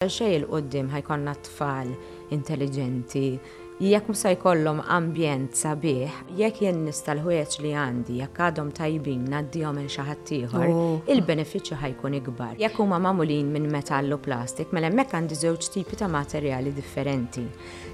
Xejn 'il quddiem ħa jkollna tfal intelliġenti jekk mhux se jkollhom ambjent sabiħ, jekk jien nista' l-ħwejjeġ li għandi, jekk għadhom tajbin ngħaddihom lil xi ħadd ieħor, il-benefiċċju ħa jkun ikbar. Jekk huma magħmulin minn metall u plastik, mela hemmhekk għandi żewġ tipi ta' materjali differenti.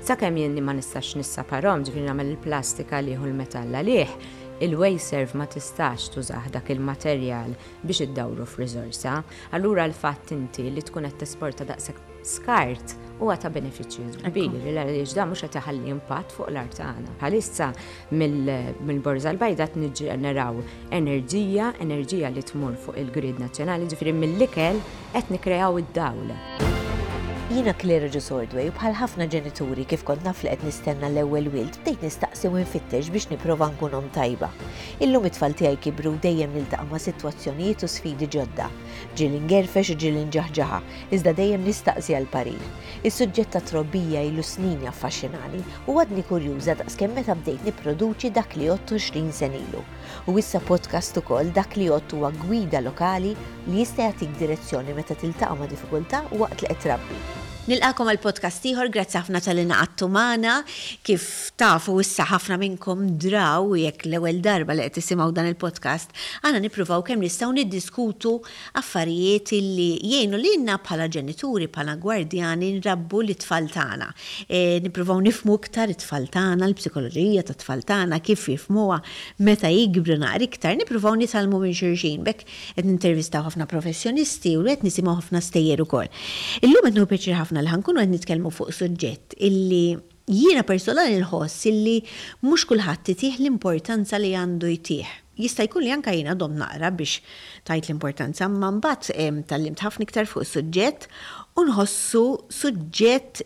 Sakemm jien ma nistax nissaparhom, ġifieri nagħmel il-plastik għalih u l-metall għalih, il-Wasteserv ma tistax tużah dak il-materjal biex iddawru f'riżorsa. Allura l-fatt inti li tkun qed tesporta daqshekk skart huwa ta' benefiċċju kbir għaliex dan mhux qed iħalli impatt fuq l-art tagħna. Bħalissa mill-Borża l-Bajda qed niġġeneraw enerġija, enerġija li tmur fuq il-grid nazzjonali, ġifieri mill-ikel qed nikkreaw id-dawl. Jiena Claire Agius Ordway u bħal ħafna ġenituri kif kont naf li qed nistenna l-ewwel wild bdejt nistaqsi u nfittex biex nipprova nkun omm tajba. Illum it-tfal tiegħi kibru u dejjem niltaqa' ma' sitwazzjonijiet u sfidi ġodda. Ġieli ngerfex u ġieli nġaħġaħa, iżda dejjem nistaqsi għal parir. Is-suġġett tat-trobbija ilu snin jaffaxxinani u għadni kurjuża daqskemm meta bdejt nipproduċi Dak li Għodt 20 sena ilu. U issa podcast ukoll, Dak li Għodt huwa gwida lokali li jista' jagħtik direzzjoni meta tiltaqa' ma' diffikultà waqt li qed trabbi. Nilqagħkom għal podcast ieħor, grazzi ħafna talli ngħaqadtu magħna. Kif tafu issa ħafna minnkom draw jekk l-ewwel darba li qed tisimgħu dan il-podcast, aħna nippruvaw kemm nistgħu niddiskutu affarijiet illi jgħinu lilna bħala ġenituri, bħala gwardjani nrabbu lit-tfal tagħna. Nippruvaw nifhmu iktar it-tfal tagħna, l-psikoloġija tat-tfal tagħna, kif jifhmuha meta jikbru naqra iktar, nippruvaw nitgħallmu minn xulxin. B'hekk Qed nintervistaw ħafna professjonisti u qed nisimgħu ħafna stejjer ukoll. Illum qed nieħu pjaċir ħafna li ħa nkunu qed nitkellmu fuq suġġett illi jiena personali nħoss illi mhux kulħadd itih l-importanza li għandu jtih. Jista' jkun li anke jiena domt naqra biex tajt l-importanza imma mbagħad tgħallimt ħafna iktar fuq is-suġġett u nħossu suġġett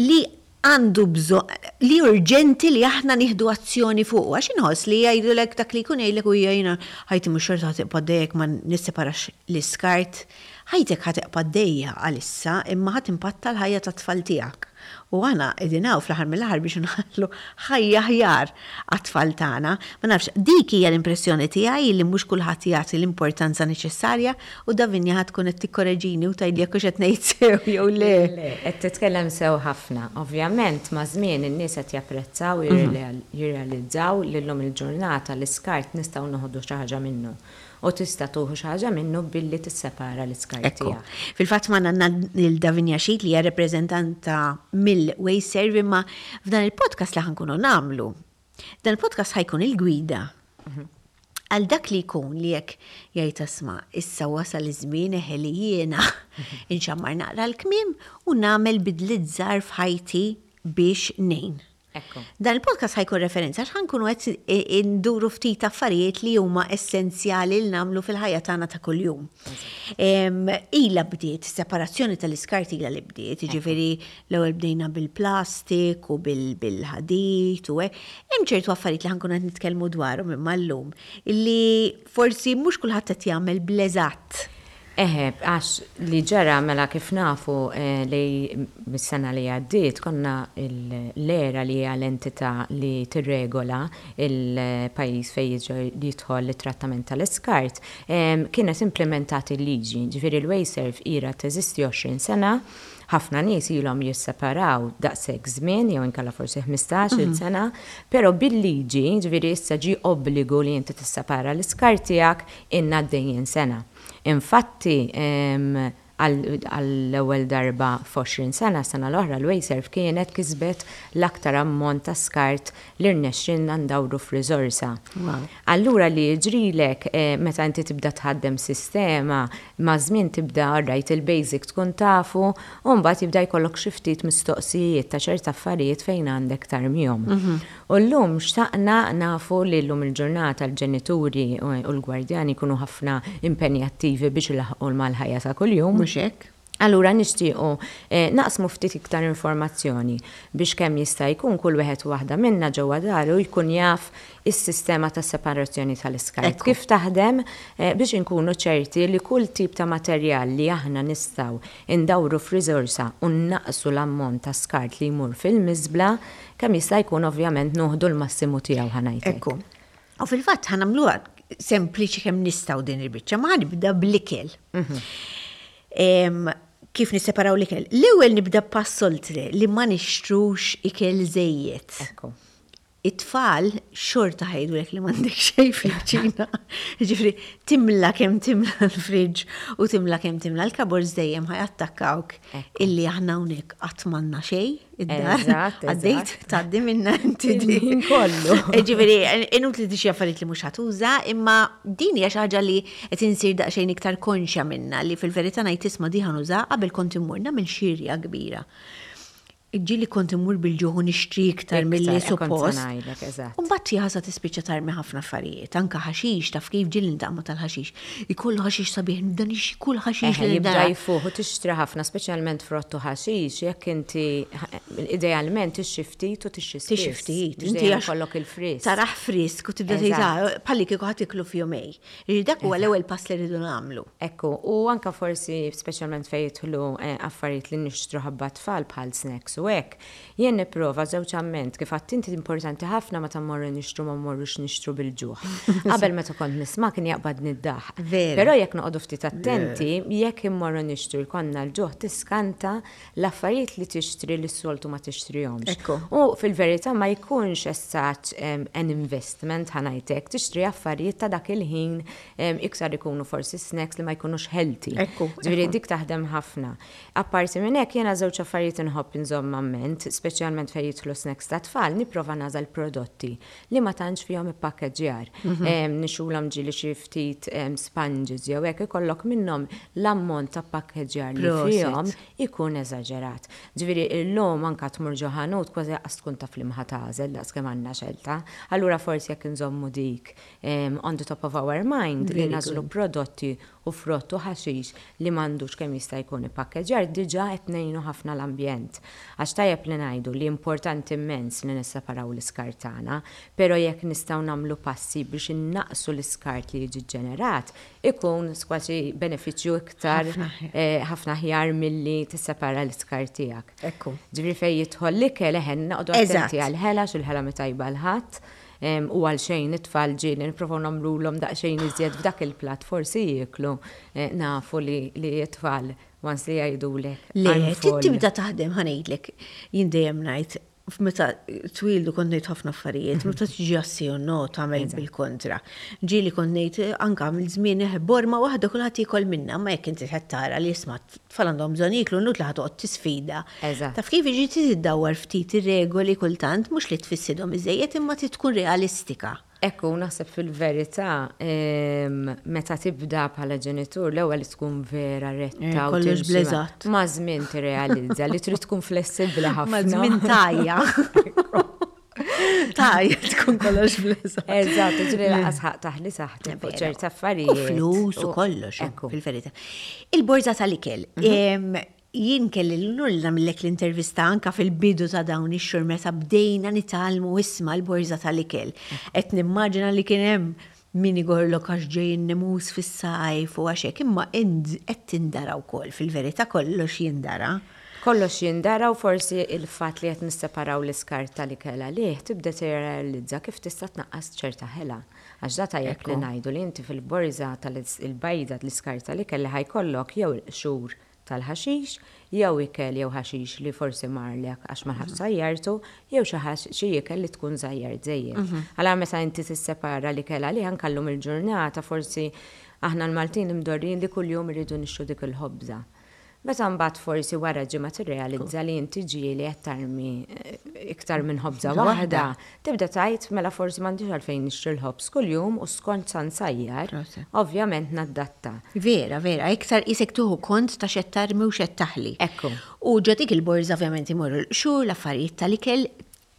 li għandu bżonn, li urġenti li aħna nieħdu azzjoni fuqu. Għax inħoss li jgħidulek dak li jkun jgħidlek u jiena ħajti mhux xorta ħa tibqa' għaddejja jekk ma nisseparax l-iskart. Ħajtek ħa tibqa' għaddejja għalissa imma ħa timpatta l-ħajja tat-tfal tiegħek. U aħna qegħdin hawn fl-aħħar mill-aħħar biex inħallu ħajja aħjar għat-tfal tagħna. Ma nafx, dik hija l-impressjoni tiegħi li mhux kulħadd jagħti l-importanza neċessarja u Davinia ħa tkun qed tikkoreġini u tgħidli jekk hux qed ngħid sew jew le. Le, qed titkellem sew ħafna. Ovvjament maż-żmien in-nies qed japprezzaw u jirrealizzaw li llum il-ġurnata l-iskart nistgħu noħdu xi ħaġa minnu. U tista' tuħu xi ħaġa minnu billi tissepara l-iskart Ekku. tiegħek. Fil-fatt magħna għandna lil Davinia Sheet li hija rappreżentanta mill-Wasteserv imma f'dan il-podcast li ħa nkunu nagħmlu, dan il-podcast ħa jkun il-gwida għal dak li jkun li jekk jgħid asma' issa wasal iż-żmien eħe li jiena inxammar naqra l-kmiem u nagħmel bidliet żgħar f'ħajti biex ngħin. Ekku. Dan il-podcast ħa jkun referenza għax ħa nkunu qed induru ftit affarijiet li huma essenzjali li nagħmlu fil-ħajja tagħna ta' kuljum. Ilha bdiet, separazzjoni tal-iskart ilha li bdiet, jiġifieri l-ewwel bdejna bil-plastik u bil-ħadid u hekk. Hemm ċertu affarijiet li ħa nkunu qed nitkellmu dwarhom imma llum li forsi mhux kulħadd qed jagħmel bl-eżatt. Eħe, għax li ġara mela kif nafu li mis-sena li għaddiet konna l-ERA li hija l-entità li tirregola l-pajjiż fejn jidħol it-trattament tal-iskart, kienet implimentat il-liġi. Ġifieri l-Wasteserv ilha teżisti 20 sena, ħafna nies ilhom jisseparaw daqshekk żmien jew inkella forsi 15-il sena, però bil-liġi, ġifieri issa ġie obbligu li inti tissepara l-iskart tiegħek ilna għaddejjin sena. Infatti, għall-ewwel darba f'20 sena, s-sena l-oħra l-Wasteserv kienet kisbet l-aktar ammont ta' skart li rnexxielna ndawru f'riżorsa. Allura li jiġrilek meta inti tibda tħaddem sistema, maż-żmien tibda alright il-basic tkun tafu u mbagħad jibda jkollok xi ftit mistoqsijiet ta' ċerta affarijiet fejn għandek tarmihom. U llum xtaqna nafu li llum il-ġurnata l-ġenituri u l-gwardjani jkunu ħafna impenjattivi biex ilaħħqu mal-ħajja ta' kuljum. Mhux hekk? Allura nixtiequ naqsmu ftit iktar informazzjoni biex kemm jista' jkun kull wieħed u waħda minna ġewwa daru jkun jaf is-sistema ta' separazzjoni tal-iskart kif taħdem biex inkunu ċerti li kull tip ta' materjal li aħna nistgħu ndawru f'riżorsa u nnaqqsu l-ammont ta' skart li jmur fil-miżbla Kemm jista' jkun ovvjament noħdu l-massimu tiegħu ħa ngħid hekk. Ekku. U fil-fatt ħa nagħmluha sempliċi kemm nistgħu din il-biċċa, ma ħa nibda bl-ikel. Kif nisseparaw l-ikel? L-ewwel nibda pass oltre li ma nixtrux ikel żejjed. Ekku. It-tfal xorta ħa jgħidulek li m'għandek xejn fil-kċina. Jiġifieri timla kemm timla l-fridge u timla kemm timla l-cupboards dejjem ħa jattakkawk illi aħna hawnhekk qatt m'għandna xejn id-dar. Għaddejt tgħaddi minna inti din. Kollu. Jiġifieri inutli tixtri affarijiet li mhux ħa tuża, imma din hija xi ħaġa li qed insir daqsxejn iktar konxja minnha li fil-verità ngħid isma' di ħa nużaha qabel kont immur nagħmel xirja kbira. Ġieli kont immur bil-ġuħ u nixtri iktar milli suppost. U mbagħad jaħasra tispiċċa tarmi ħafna affarijiet, anke ħaxix, taf kif ġieli niltaqa' ma' tal-ħaxix. Ikollu ħaxix sabiħ, nibda nixtri kull ħaxix li nara. Jibda jfuħ u tixtri ħafna, speċjalment frott u ħaxix, jekk inti idealment tixtri ftit u tixtri spiss. Tixtri ftit, inti għax ikollok il-frisk. Tarah frisk u tibda tgħid bħalli kieku ħa tiklu f'jumejn. Jiġifieri dak huwa l-ewwel pass li rridu nagħmlu. Ekku, u anke forsi speċjalment fejn jidħlu affarijiet li nixtru ħabba t-tfal bħal snacks u hekk, jien nipprova żewġ amment, kif għedt inti importanti ħafna meta mmorru nixtru ma mmorrux nixtru bil-ġuħ. Qabel meta kont nisma' kien jaqbadni d-daħq. Però jekk noqogħdu ftit attenti, jekk immorru nixtru jkollna l-ġuħ tiskanta l-affarijiet li tixtri li s-soltu ma tixtrihomx. U fil-verità ma jkunx as such an investment ħa ngħid hekk, tixtri affarijiet ta' dak il-ħin iktar ikunu forsi snacks li ma jkunux healthy. Ġifieri dik taħdem ħafna. Apparti minn hekk jiena żewġ affarijiet inħobb inżomm a ment, speċjalment fejn jidħlu snacks tat-tfal, nipprova nagħżel prodotti li ma tantx fihom ippakkeġġjar. Nixxulhom ġieli xi ftit sponges jew hekk ikollok minnhom l-ammont ta' ppakkeġġjar li fihom ikun eżaġerat. Ġifieri illum anke tmur ġo ħanut kważi lanqas tkun taf liema ħa tagħżel daqs kemm għandna xelta. Allura forsi jekk inżommu dik on the top of our mind li nagħżlu prodotti u frott u ħaxix li m'għandux kemm jista' jkun ippakkeġġjar diġà qed ngħinu ħafna l-ambjent. Għax tajjeb li ngħidu li importanti immens li nisseparaw l-iskart tagħna, però jekk nistgħu nagħmlu passi biex innaqqsu l-iskart li jiġi ġġenerat, ikun kważi benefiċċju iktar ħafna aħjar milli tissepara l-iskart tiegħek. Ġifieri fejn jidħol l-ikel eħe noqogħdu attenti għall-ħela għax il-ħela mhi tajba għal ħadd. U għal xejn it-tfal ġieli nipprovaw nagħmlulhom daqsxejn iżjed f'dak il-platt forsi jieklu nafu li t-tfal once li jgħidulek. Le, trid tibda taħdem ħa ngħidlek, jien dejjem ngħid meta twieldu kont ngħid ħafna affarijiet, meta tiġi għas-sì u no tagħmel bil-kontra. Ġieli kont ngħid anke mill-żmien borma waħda kulħadd jiekol minnha, imma jekk inti qed tara li isma' Tfal għandhom bżonn jieklu inutli ħa toqgħod tisfida. Eżatt. Taf kif jiġi trid iddawwar ftit ir-regoli kultant mhux li tfissidhom iżżejjed imma trid tkun realistika. Ekku, naħseb fil-verità meta tibda bħala ġenitur l-ewwel tkun vera retta u kollox bl-eżatt. Maż-żmien tirrealizza li trid tkun flessibbli ħafna. Maż-żmien tgħajja. Tajja tkun kollox bl-eżatt. Eżatt, ġri laqas ħaq taħli saħħtek fuq ċerti affarijiet. U flus u kollox, fil-verità. Il-borża tal-ikel. Mhm. Jien kelli l-unur li nagħmillek l-intervista anka fil-bidu ta' dawn ix-xhur meta bdejna nitgħallmu isma' l-borża tal-ikel. Qed nimmaġina li kien hemm Min igorrlok għax ġej in-nemus fis-sajf u għax hekk, imma int qed tindara wkoll, fil-verità kollox jindara. Kollox jindara u forsi il-fatt li qed nisseparaw l-iskart tal-ikel għalih tibda tirrealizza kif tista' tnaqqas ċerta ħela. Għax da tajjeb li ngħidu li inti fil-borża tal-bajda l-iskart tal-ikel li ħa jkollok jew il-qxur tal-ħaxix, jew ikel jew ħaxix li forsi marlek għax ma lħaqtx sajjartu, jew xi xi ikel li tkun sajjart żejjed. Allura meta inti tissepara l-ikel għalih anke llum il-ġurnata forsi aħna l-Maltin imdorrijin li kuljum irridu nixtru dik il-ħobża. Meta mbagħad forsi wara ġimgħa tirrealizza li inti ġieli qed tarmi iktar minn ħobża waħda, tibda tgħid mela forsi m'għandix għalfejn nixtri l-ħobż kuljum u skont sa nsajjar, ovvjament naddatta. Vera, vera, iktar qisek tieħu kont ta' x'qed tarmi u x'qed taħli. Ekku. U ġo dik il-borża ovvjament imorru l-qxur, l-affarijiet tal-ikel,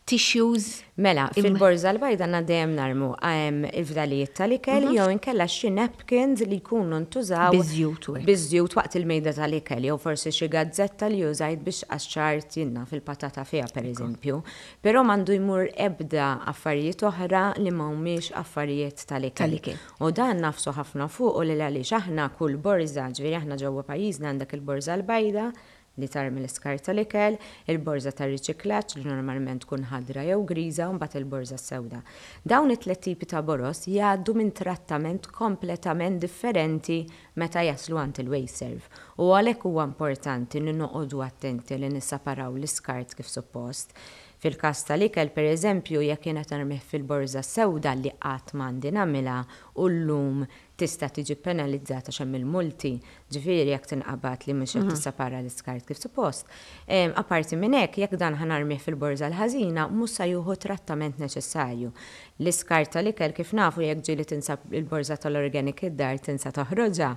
tissues. Mela, fil-borża l-bajda għandna dejjem narmu il-fdalijiet tal-ikel jew inkella xi napkins li jkunu ntużaw. Biż-żjut u hekk. Biż-żjut waqt il-mejda tal-ikel jew forsi xi gazzetta li użajt biex qaxxart jien naf il-patata fiha pereżempju. Però m'għandu jmur ebda affarijiet oħra li ma humiex affarijiet tal-ikel. Tal-ikel. U dan nagħfsu ħafna fuqu lil għaliex aħna kull borża, ġifieri aħna ġewwa pajjiżna għandek il-borża l-bajda, li tarmi l-iskart tal-ikel, il-borża tar-riċiklaġġ li normalment tkun ħadra jew griża u mbagħad il-borża s-sewda. Dawn it-tlett tipi ta' boroż jgħaddu minn trattament kompletament differenti meta jaslu għand il-WasteServ u għalhekk huwa importanti li noqogħdu attenti li nissaparaw l-iskart kif suppost. Fil-każ tal-ikel, pereżempju, jekk jien qed narmih fil-borża s-sewda li qatt m'għandi nagħmilha u llum tista' tiġi ppenalizzata għax hemm il-multi, ġifieri jekk tinqabad li mhux qed tissepara l-iskart kif suppost. Apparti minn hekk, jekk dan ħa narmih fil-borża l-ħażina, mhux sa jieħu t-trattament neċessarju. L-iskart tal-ikel kif nafu jekk ġieli tinsa l-borża tal-organic id-dar tinsa toħroġha,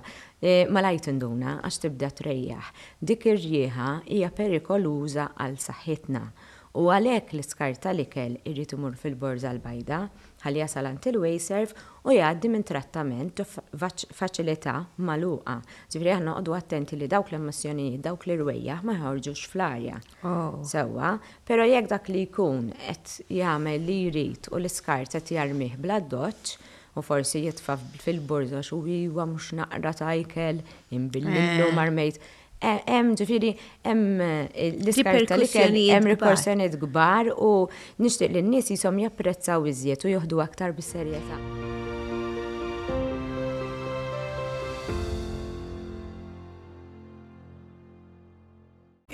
malajr tinduna għax tibda trejjaħ. Dik ir-riħa hija perikoluża għal saħħitna u għalhekk l-iskart tal-ikel irid imur fil-borża l-bajda ħalli jasal għand il-WasteServ u jgħaddi minn trattament ġo faċilità magħluqa. Ġifieri aħna noqogħdu attenti li dawk l-emissjonijiet, dawk l-irwejjaħ ma joħorġux fl-arja. Sewwa, però jekk dak li jkun qed jagħmel li jrid u l-iskart qed jarmih bl-addoċċ u forsi jitfa' fil-borża għax hu iwa mhux naqra ta' ikel, inbillillu ma rmejt. Hemm ġifieri hemm l-iskart tal-ikel hemm riperkussjonijiet kbar u nixtieq li n-nies qishom japprezzaw iżjed u joħdu aktar bis-serjetà.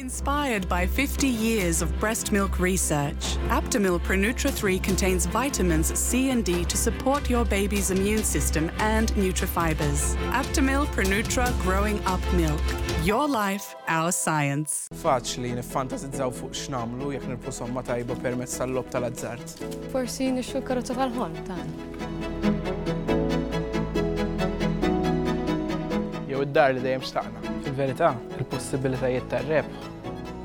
Inspired by 50 years of breast milk research, Aptamil Pronutra 3 contains vitamins C and D to support your baby's immune system and nutrifibers. Aptamil Pronutra Growing Up Milk. Your life, our science. Faċli niffantasizzaw fuq x'nagħmlu jekk nirbħu somma tajba permezz tal-logħob tal-azzard. Forsi nixtru l-karozza tal-ħolm tagħna. Jew id-dar li dejjem xtaqna. Fil-verità, il-possibilitajiet tar-rebħ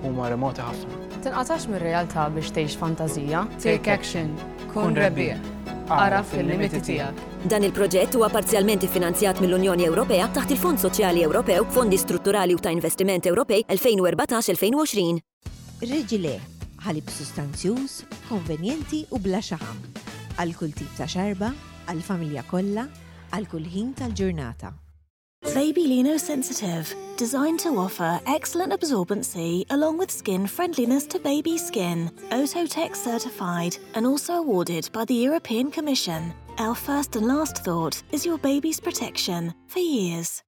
huma remoti ħafna. Tinqatax mir-realtà biex tgħix fantażija. Take action. Kun rebbieħ. Agħraf il-limiti tiegħek. Dan il-proġett huwa parzjalment iffinanzjat mill-Unjoni Ewropea taħt il-Fond Soċjali Ewropew, Fondi Strutturali u ta' Investiment Ewropej 2014-2020. Regilé, ħalib sustanzjuż, konvenjenti u bla xaħam. Għal kull tip ta' xarba, għall-familja kollha, għal kull ħin tal-ġurnata. Baby Lino Sensitive, designed to offer excellent absorbency along with skin friendliness to baby skin. Ototech certified and also awarded by the European Commission. Our first and last thought is your baby's protection for years.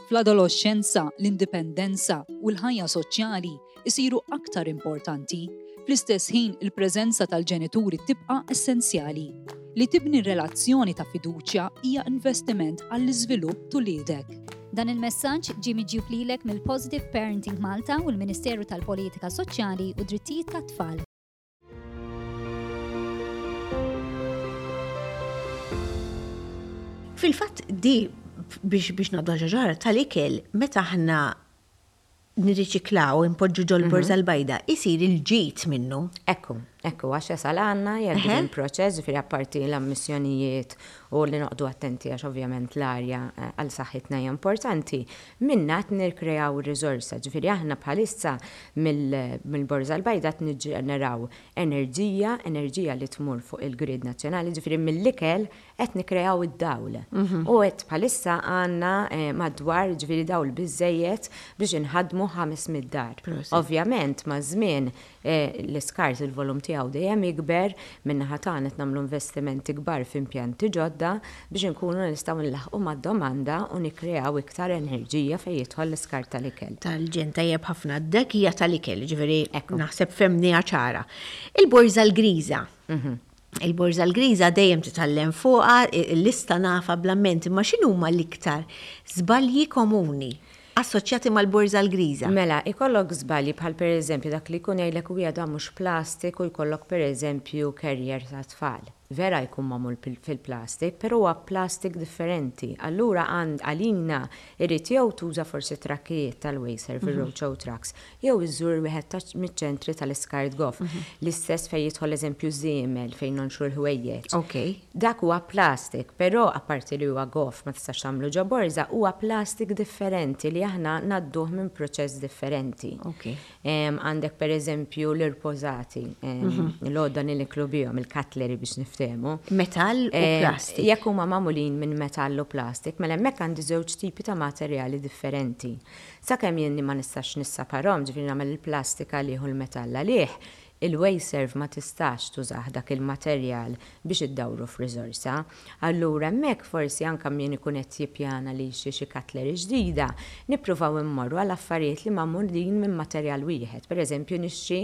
Fl-adoloxxenza, l-indipendenza u l-ħajja soċjali jsiru aktar importanti. Fl-istess ħin, il-preżenza tal-ġenituri tibqa' essenzjali. Li tibni relazzjoni ta' fiduċja hija investiment għall-iżvilupp t'uliedek. Dan il-messaġġ ġie miġjub lilek mill-Positive Parenting Malta u l-Ministeru tal-Politika Soċjali u Drittijiet tat-Tfal. Fil-fatt di biex biex nagħdu ġaġara tal-ikel meta aħna nirriċiklaw, inpoġġu ġol mhm. borża l-bajda, isir il-ġid minnu. Ekku, ekku, għax jasal għanna, jgħaddi minn proċess, ġifieri apparti l-ammissjonijiet u li noqdu attenti għax ovvjament l-arja eh, għal saħħitna hija importanti, Minnha qed nirkreaw riżorsa, ġifieri aħna bħalissa mill-Borża l-Bajda qed niġġeneraw enerġija, enerġija li tmur fuq il-grid nazzjonali, ġifieri mill-ikel qed nikkreaw id-dawl. U qed bħalissa għandna madwar ġifieri dawl biżżejjed biex inħaddmu 500 dar. Ovvjament maż-żmien L-iskart il-volum tiegħu dejjem jikber, min-naħa tagħna qed nagħmlu investimenti kbar f'impjanti ġodda biex inkunu nistgħu nlaħħqu mad-domanda u nikkreaw iktar enerġija fejn jidħol l-iskart tal-ikel. Tal-ġenn tajjeb ħafna. Dak hija tal-ikel, jiġifieri naħseb fhemniha ċara. Il-borża l-griża. Il-borża l-griża dejjem titgħallem fuqha, il-lista nafha bl-amment, imma x'inhuma l-iktar żbalji komuni assoċjati mal-borża l-griża? Mela, ikollok żbalji bħal pereżempju dak li jkun jgħidlek u dan mhux plastik u jkollok pereżempju carrier tat-tfal. Vera jkun magħmul fil-plastik, però huwa plastik differenti. Allura għalina irid jew tuża forsi trakkijiet tal-Wasteserv, ir-roadshow trucks, jew iżżur wieħed miċ-ċentri tal-iskart goff. L-istess fejn jidħol eżempju żiemel fejn nonxru l-ħwejjeġ. Dak huwa plastik, però apparti li huwa goff ma tistax tagħmlu ġo borża, huwa plastik differenti li aħna ngħadduh minn proċess differenti. Għandek per eżempju l-irpożati, l-għodda li niklu bihom, il-cutlery biex niftehmu. Metall u plastik. Jekk huma magħmulin minn metall u plastik, mela hemmhekk għandi żewġ tipi ta' materjali differenti. Sakemm jien ma nistax nissaparhom, ġifieri nagħmel il-plastik għalih u l-metall għalih, il-Wasteserv ma tistax tużah dak il-materjal biex iddawru f'riżorsa. Allura hemmhekk forsi anke min ikun qed jippjana li jixtri xi cutlery ġdida, nippruvaw immorru għal affarijiet li magħmulin minn materjal wieħed. Per eżempju nixtri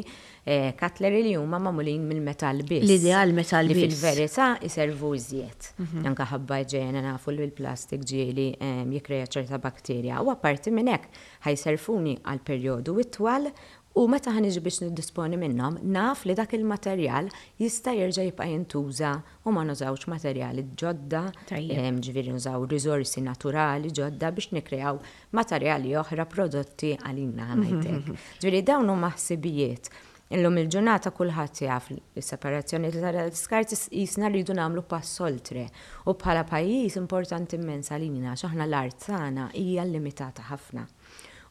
cutlery li huma magħmulin mill-metall biss. L-ideal metall biss. Li fil-verità iservu iżjed. Anke ħabba iġene nafu li l-plastik ġieli jikkrea ċerta bakterja. U apparti minn hekk ħa jservuni għal perjodu itwal U meta ħa niġi biex niddisponi minnhom, naf li dak il-materjal jista' jerġa' jibqa' jintuża u ma nużawx materjali ġodda, ġifieri nużaw riżorsi naturali ġodda biex nikkreaw materjali oħra, prodotti għalina ħa ngħid hekk. Ġifieri dawn huma ħsibijiet. Illum il-ġurnata kulħadd jaf li s-separazzjoni tal-iskart qisna rridu nagħmlu pass oltre. U bħala pajjiż importanti immens għalina għax aħna l-art tagħna hija limitata ħafna.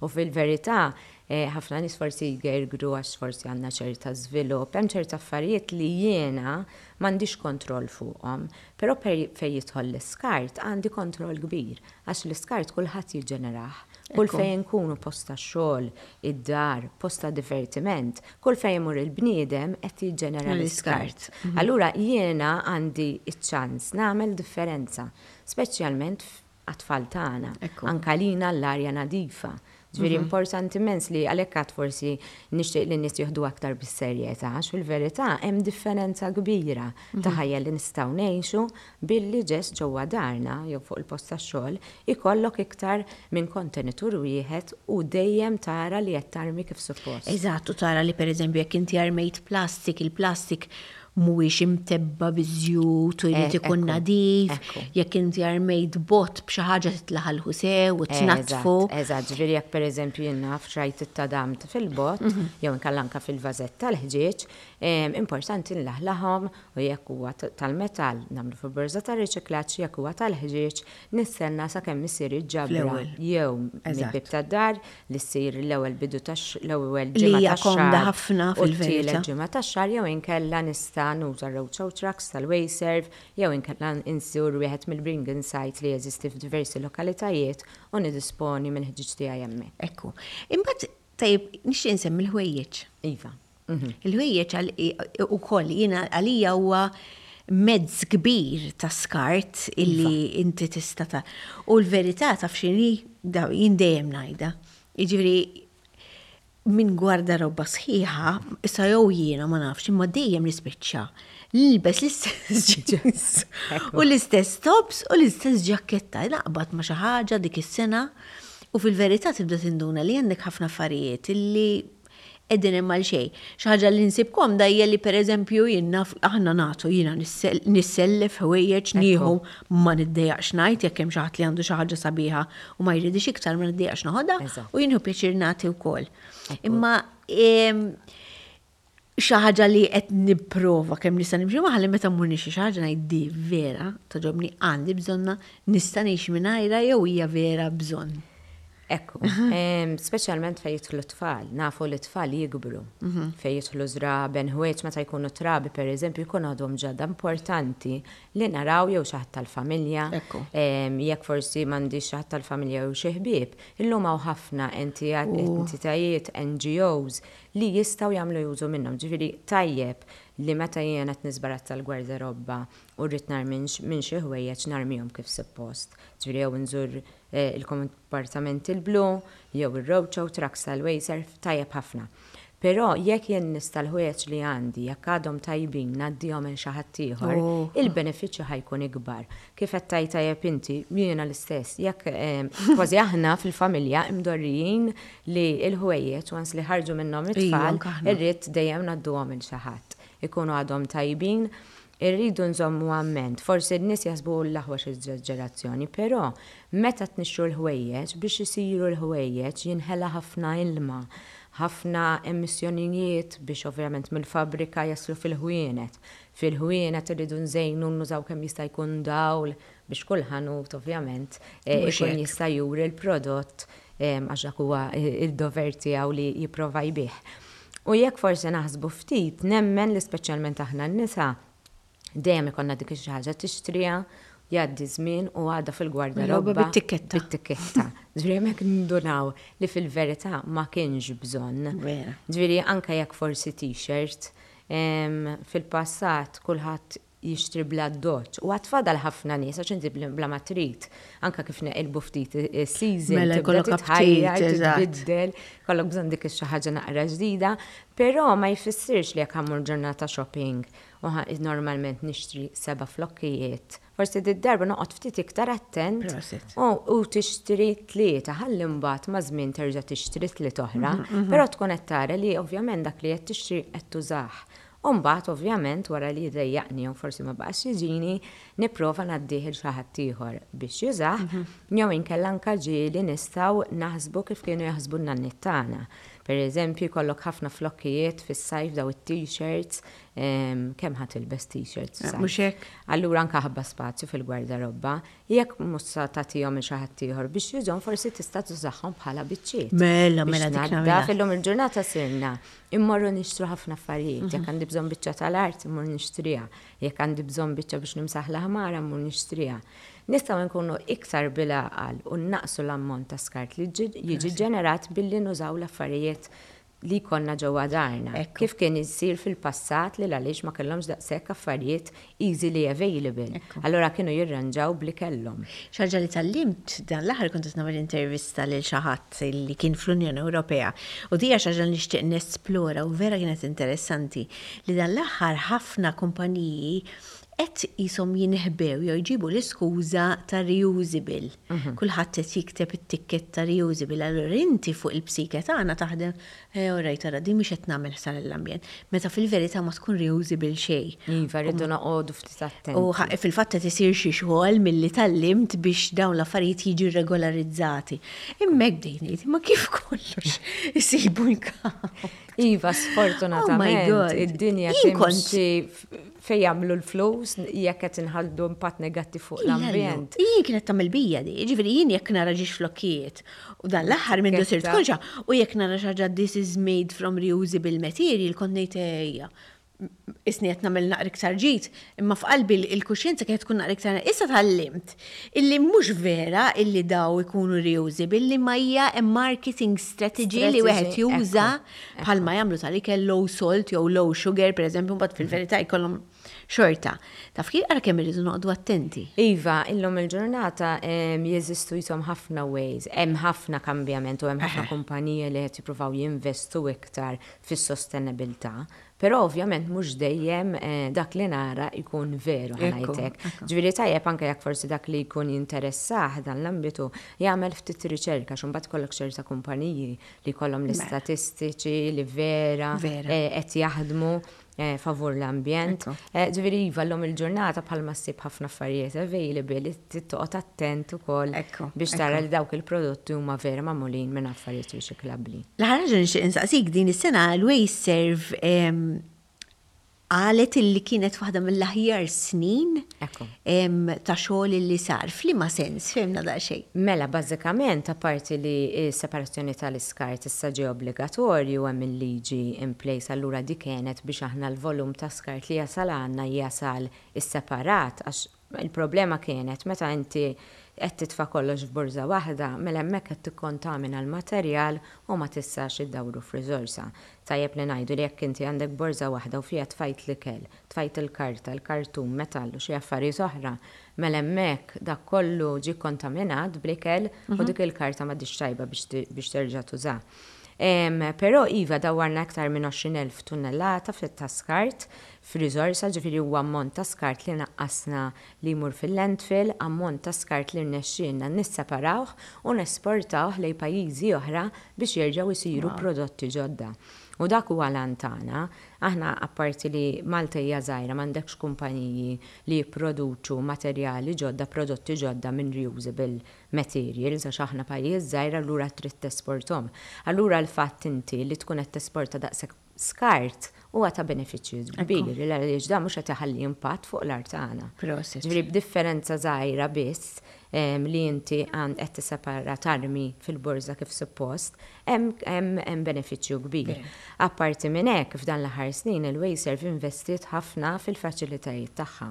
U fil-verità, ħafna nies forsi jgergru għax forsi għandna ċerta żvilupp, hemm ċerta affarijiet li jiena m'għandix kontroll fuqhom, però fejn jidħol l-iskart għandi kontroll kbir għax l-iskart kulħadd jiġġenerah. Kull fejn inkunu post tax-xogħol, id-dar, post ta' divertiment, kull fejn imur il-bniedem qed jiġġenera l-iskart. Allura jiena għandi ċ-ċans nagħmel differenza, speċjalment għat-tfal tagħna, anke għalina l-arja nadifa. Ġifieri importanti immens li għalhekk għad forsi nixtieq li n-nies jieħdu aktar bis-serjetà għax fil-verità hemm differenza kbira ta' ħajja li nistgħu ngħixu billi ġest ġewwa darna jew fuq il-post tax-xogħol ikollok iktar minn kontenitur wieħed u dejjem tara li qed tarmi kif suppost. Eżatt, u tara li pereżempju jekk inti armejt plastik, il-plastik mhuwiex imtebba' biż-żjut u jrid ikun nadif, jekk inti armejt bott b'xi ħaġa titlaħalħu sew u tnaddfu. Eżatt, ġifieri jekk pereżempju jien naf xrajt it-tadam fil-bott jew inkella anke fil-vażett tal-ħġieġ, importanti nlaħlaħhom u jekk huwa tal-metall nagħmlu fil-borża tar-riċiklaġġ, jekk huwa tal-ħġieġ nistenna sakemm issir il-ġabra jew mill-bieb tad-dar li ssir l-ewwel bidu tax l-ewwel ġimgħa Li hija komda ħafna fil-verità. U t-tielet ġimgħa tax-xahar jew inkella nista' nuża r-roadshow trucks tal-Wasteserv jew inkella nżur wieħed mill-bring in sites li jeżisti f'diversi lokalitajiet u niddisponi mill-ħġieġ tiegħi hemmhekk. Ekku. Imbagħad tajjeb nixtieq insemmi l-ħwejjeġ. Iva. Il-ħwejjeġ ukoll jiena għalija huwa mezz kbir ta' skart illi inti tista' ta' U l-verità taf x'inhi jien dejjem ngħidha. Jiġifieri minn gwardarobba sħiħa, issa jew jiena ma nafx, imma dejjem nispiċċa nilbes l-istess jeans u l-istess tops u l-istess ġakketta. Naqbad ma' xi ħaġa dik is-sena u fil-verità tibda tinduna li għandek ħafna affarijiet illi qegħdin hemm għal xejn. Xi ħaġa li nsib komda hija li pereżempju jien naf aħna nagħtu jiena nissellef ħwejjeġ nieħu ma niddejjaqx ngħid jekk hemm xi ħadd li għandu xi ħaġa sabiħa u ma jridix iktar ma niddejjaqx noħodha u jien nieħu pjaċir nagħti wkoll. Imma xi ħaġa li qed nipprova kemm nista' nimxi magħha li meta mmur nixtri xi ħaġa ngħid di vera togħġobni għandi bżonnha nista' ngħix mingħajrha jew hija vera bżonn. Ekku, speċjalment fejn jidħlu t-tfal, nafu li t-tfal jikbru. Mhm. Fejn jidħlu żraben, ħwejjeġ meta jkunu trabi pereżempju jkun għadhom ġodda importanti li naraw jew xi ħadd tal-familja. Jekk forsi m'għandix xi ħadd tal-familja jew xi ħbieb, illum hawn ħafna entitajiet, NGOs li jistgħu jagħmlu użu minnhom. Ġifieri tajjeb li meta jiena qed niżbarazza l-gwardarobba u rrid narmi minn xi ħwejjeġ narmihom kif suppost. Ġifieri jew inżur il-kompartament il-blu jew ir-roadshow trucks tal-Wasteserv tajjeb ħafna. Però jekk jien nista' l-ħwejjeġ li għandi jekk għadhom tajbin ngħaddihom lil xi ħadd ieħor, il-benefiċċju ħa jkun ikbar. Kif qed tgħid tajjeb inti, jiena l-istess, jekk kważi aħna fil-familja imdorrijin li l-ħwejjeġ once li ħarġu minnhom it-tfal, irrid dejjem ngħadduhom lil xi ħadd. Ikunu għadhom tajbin. Irridu nżommu amment, forsi n-nies jaħsbu l-aħwa x'eżaġerazzjoni, però meta tnixxu l-ħwejjeġ, biex isiru l-ħwejjeġ jinħela ħafna ilma, ħafna emissjonijiet biex ovvjament mill-fabbrika jaslu fil-ħwienet. Fil-ħwienet irridu nżejnu nużaw kemm jista' jkun dawl biex kull ħanut ovvjament ikun jista' juri l-prodott għax dak huwa d-dover tiegħu li jipprova jbigħ. U jekk forsi naħsbu ftit, nemmen li speċjalment aħna n-nisa, dejjem ikollna dik xi ħaġa tixtriha, jgħaddi żmien u għadha fil-gwardarobba. Bit-tikketta. Bit-tikketta. Ġifieri hemmhekk nindunaw li fil-verità ma kienx bżonn. Ġifieri anke jekk forsi t-shirt, fil-passat kulħadd jixtri bl-addoċċ. U għad fadal ħafna nies għax inti bla ma trid, anke kif neqilbu ftit is-season, mela tibda jkollok titħajjar, aptit, eżatt. titbiddel, kollok bżonn dik xi ħaġa naqra ġdida, però ma jfissirx li jekk ħa mmur ġurnata shopping u normalment nixtri seba' flokkijiet, forsi did-darba noqgħod ftit iktar attent Prosit. u tixtri tlieta ħalli mbagħad maż-żmien terġa' tixtri tliet oħra, però tkun qed tara li ovvjament dak li qed tixtri qed tużah. U mbagħad ovvjament wara li jdejjaqni jew forsi ma baqax jiġini, nipprova ngħaddih il xi ħadd ieħor biex jużah, jew inkella anke ġieli nistgħu naħsbu kif kienu jaħsbu n-nanniet tagħna. Per eżempju, jkollok ħafna flokkijiet fis-sajf daw it-t-shirts, kemm ħa tilbes t-shirts fis-sajf? Mhux hekk? Allura anke ħabba spazju fil-gwardarobba, jekk mhux sa tagħtihom il xi ħadd ieħor biex jużhom forsi tista' tużahom bħala biċċiet. Mela, mela Biex dik tnaddaf, nagħmilha. illum il-ġurnata sirna immorru nixtru ħafna affarijiet. Jekk għandi bżonn biċċa tal-art, immur nixtriha. Jekk għandi bżonn biċċa biex nimsaħ l-ħmara, immur nixtriha. Nistgħu nkunu iktar bil-għaqal u naqsu l-ammont ta' skart li jiġi ġenerat billi nużaw l-affarijiet li jkollna ġewwa darna. Kif kien isir fil-passat li għaliex ma kellhomx daqshekk affarijiet easily available. Allura kienu jirranġaw bli kellhom. Xi ħaġa li tgħallimt dan l-aħħar kont qed nagħmel intervista lil xi ħadd li kien fl-Unjoni Ewropea u di hija xi ħaġa li nixtieq nesplora u vera kienet interessanti li dan l-aħħar ħafna kumpaniji qed qishom jinħbew jew jġibu l-iskuża ta' reusable. Kulħadd qed jikteb it-tikketta ta' reusable, allura inti fuq il-psike tagħna taħdem, eh, alright, ara, di mhix qed nagħmel ħsara l-ambjent. Meta fil-verità ma tkun reusable xejn. Iva, rridu noqogħdu ftit attenti. U fil-fatt qed isir xi xogħol milli tgħallimt biex dawn l-affarijiet jiġu regolarizzati. Imma hekk bdejt ngħid, ma kif kollox isibu l-kaw. Iva, sfortunatament, Oh my God. id-dinja Jien kont- timxi fejn jagħmlu l-flus jekk qed inħallu impatt negattiv fuq l-ambjent. Jien kienet tagħmel bija di, ġifieri jien jekk nara ġiex flokkijiet u dan l-aħħar minn sirt Tikketta. konxa u jekk nara xi ħaġa this is made from reusable material kont ngħid ejja. Isni qed nagħmel naqra iktar ġid, imma f'qalbi il-kuxjenza kienet tkun naqra iktar. Issa tgħallimt illi mhux vera illi daw ikunu reusable, li ma hija a marketing strategy li wieħed Strategy, juża ekku, bħalma jagħmlu tal-ikel low salt jew low sugar, pereżempju, mbagħad fil-verità jkollhom xorta. Taf kif ara kemm irridu noqogħdu attenti. Iva, illum il-ġurnata jeżistu jisom ħafna ways, hemm ħafna kambjament u hemm ħafna kumpaniji li qed jippruvaw jinvestu iktar fis-sostenibilità. Però ovvjament mhux dejjem dak li nara jkun veru Ekku, ħa ngħidlek. Ġifieri tajjeb anke jekk forsi dak li jkun jinteressah dan l-ambitu jagħmel ftit riċerka x'u mbagħad kollok ċerta kumpaniji li jkollhom l-istatistiċi li vera qed jaħdmu favur l-ambjent. Ġifieri iva llum il-ġurnata bħalma ssib ħafna affarijiet available, trid toqgħod attent ukoll biex tara li dawk il-prodotti huma vera magħmulin minn affarijiet riċiklabbli. L-aħħar ħaġa nixtieq insaqsik din is-sena l-WasteServ qalet illi kienet waħda mill-aħjar snin ta' xogħol illi sar. F'liema sens, fehmna daqsxejn. Mela, bażikament, apparti li s-separazzjoni tal-iskart issa ġie obbligatorju hemm il-liġi in place, allura di kienet biex aħna l-volum ta' skart li jasal għandna jasal isseparat, għax il-problema kienet meta inti qed titfa' kollox f'borża waħda, mela hemmhekk qed tikkontamina l-materjal u ma tistax iddawru f'riżorsa. Tajjeb li ngħidu li jekk inti għandek borża waħda u fiha tfajt l-ikel, tfajt il-karta, il-kartun, metall u xi affarijiet oħra, mela hemmhekk dak kollu ġie kontaminat bl-ikel u dik il-karta m'għadix tajba biex terġa' tuża. Però iva dawwarna aktar minn 20,000 tunnellata fit-ta' skart. f'riżorsa, ġifieri huwa ammont ta' skart li naqqasna li jmur fil-landfill, ammont ta' skart li rnexxielna nisseparawh u nesportawh lejn pajjiżi oħra biex jerġgħu jsiru prodotti ġodda. U dak huwa l-għan tagħna. Aħna apparti li Malta hija żgħira m'għandekx kumpaniji li jipproduċu materjali ġodda, prodotti ġodda minn reusable materials għax aħna pajjiż żgħir allura trid tesporthom. Allura l-fatt inti li tkun qed tesporta daqshekk skart huwa ta' benefiċċju kbir għaliex dan mhux qed iħalli impatt fuq l-art tagħna. Ġifieri b'differenza żgħira biss li inti qed tissepara tarmi fil-borża kif suppost, hemm benefiċċju kbir. Apparti minn hekk, f'dan l-aħħar snin il-Wasteserv investiet ħafna fil-faċilitajiet tagħha.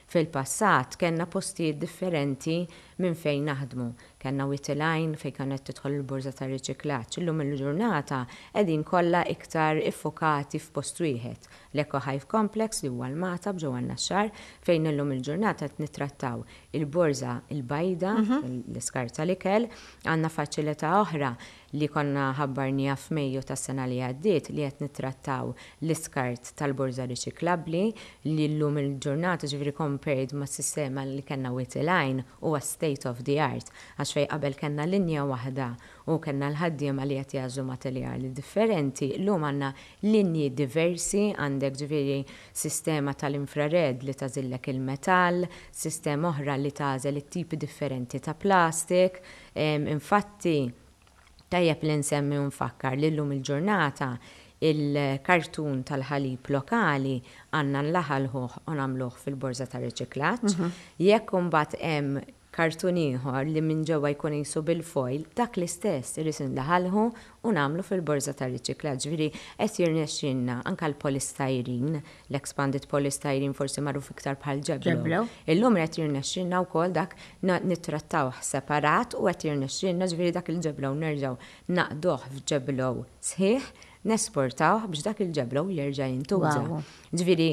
Fil-passat kellna postijiet differenti minn fejn naħdmu. Kellna Wied il-Għajn fejn kienet tidħol il-borża tar-riċiklaġġ. Illum il-ġurnata qegħdin kollha iktar iffukati f'post wieħed, l-Eco Hive Complex li huwa l-Magħtab ġewwa n-Naxxar fejn illum il-ġurnata qed nittrattaw il-borża l-bajda, l-iskart tal-ikel. Għandna faċilità oħra li konna ħabbarniha f'Mejju tas-sena li għaddiet li qed nittrattaw l-iskart tal-borża riċiklabbli li llum il-ġurnata ġifieri compared mas-sistema li kellna Wied il-Għajn huwa state of the art għax fejn qabel kellna linja waħda u kellna l-ħaddiema li qed jagħżlu materjali differenti llum għandna linji diversi għandek ġifieri sistema tal-infrared li tagħżillek il-metall, sistema oħra li tagħżel it-tipi differenti ta' plastik. Infatti, tajjeb li nsemmi u nfakkar li llum il-ġurnata il-kartun tal-ħalib lokali għandna nlaħalħuh u nagħmluh fil-borża tar-riċiklaġġ. Jekk imbagħad hemm kartun ieħor li minn ġewwa jkun qisu bil-foil, dak l-istess irrid indaħalħu u nagħmlu fil-borża tar-riċiklaġġ. Ġifieri qed jirnexxielna anke l-polystyrene, l-expanded polystyrene forsi magħruf iktar bħal ġeblo. Illum qed jirnexxielna wkoll dak nittrattawh separat u qed jirnexxielna ġifieri dak il-ġeblo nerġgħu naqduh f'ġeblo sħiħ, nesportawh biex dak il-ġeblo jerġa' jintuża. Ġifieri,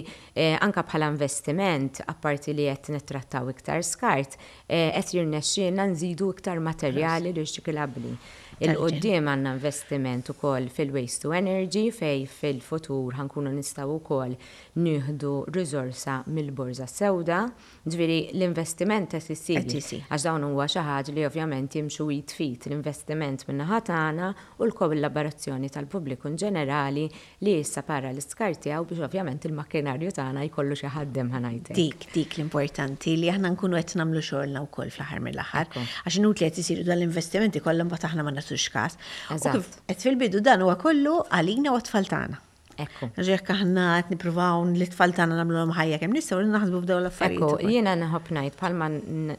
anke bħala investiment, apparti li qed nittrattaw iktar skart, qed jirnexxielna nżidu iktar materjali riċiklabbli. Il quddiem għandna investiment ukoll fil-waste to energy fejn fil-futur ħa nkunu nistgħu wkoll nieħdu riżorsa mill-borża s-sewda. Ġifieri l-investiment qed isir. Għax dawn huwa xi ħaġa li ovvjament jimxu id f'id, l-investiment min-naħa tagħna u l-kollaborazzjoni tal-pubbliku inġenerali li jissapara l-iskart tiegħu biex ovvjament il-makkinarju tagħna jkollu xi ħaddem ħa ngħid hekk. Dik, dik l-importanti li aħna nkunu qed nagħmlu xogħolna wkoll fl-aħħar mill-aħħar. Għax inutli qed isiru dan l-investimenti kollha mbagħad aħna ma nagħtux każ. U kif għedt fil-bidu dan huwa kollu għalina u għat-tfal tagħna. Ekku. Għax jekk aħna qed nippruvaw li t-tfal tagħna nagħmluhom ħajja kemm nistgħu naħsbu f'dawn l-affarijiet. Ekku, jiena nħobb ngħid bħalma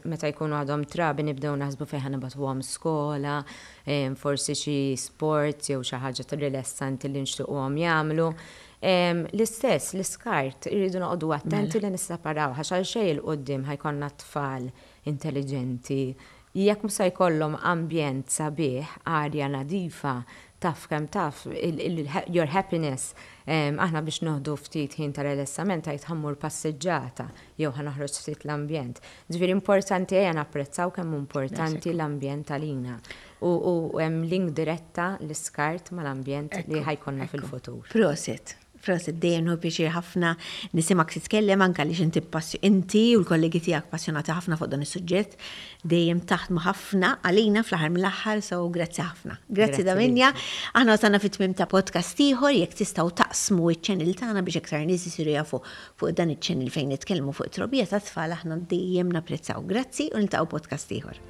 meta jkunu għadhom trabi nibdew naħsbu fejn ħa nibgħatuhom skola, forsi xi sports jew xi ħaġa rilassanti li nixtiequhom jagħmlu. L-istess, l-iskart, irridu noqogħdu attenti li nisseparaw għax għal xejn 'il quddiem ħa jkollna tfal intelliġenti Jekk mhux se jkollhom ambjent sabiħ, arja nadifa, taf kemm taf, your happiness, aħna biex noħdu ftit ħin ta' relessament tgħid ħa mmur passiġġata jew ħa noħroġ ftit l-ambjent. Ġifieri importanti ejja napprezzaw kemm hu importanti l-ambjent għalina. U hemm link diretta l-iskart mal-ambjent li ħa jkollna fil-futur. Prosit. Prosit, dejjem nieħu pjaċir ħafna nisimgħek titkellem anke għaliex inti inti u l-kollegi tiegħek passjonati ħafna fuq dan is-suġġett, dejjem taħdmu ħafna għalina fl-aħħar mill-aħħar, so grazzi ħafna. Grazzi Davinia. Aħna wasalna fit-tmiem ta' podcast ieħor, jekk tistgħu taqsmu ċ-channel tagħna biex iktar nies isiru jafu fuq dan iċ-channel fejn nitkellmu fuq it-trobbija tat-tfal aħna dejjem napprezzaw. Grazzi u niltaqgħu podcast ieħor.